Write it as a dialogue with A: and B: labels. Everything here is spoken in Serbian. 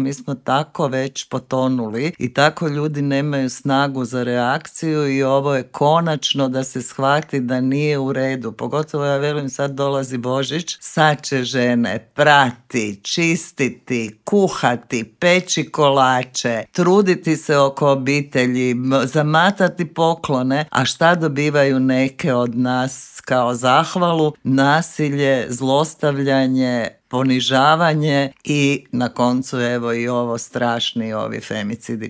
A: Mi smo tako već potonuli i tako ljudi nemaju snagu za reakciju i ovo je konačno da se shvati da nije u redu. Pogotovo ja velim, sad dolazi Božić, sad će žene prati, čistiti, kuhati, peći kolače, truditi se oko obitelji, zamatati poklone, a šta dobivaju neke od nas kao zahvalu? Nasilje, zlostavljanje, ponižavanje i na koncu evo i ovo strašni ovi femicidi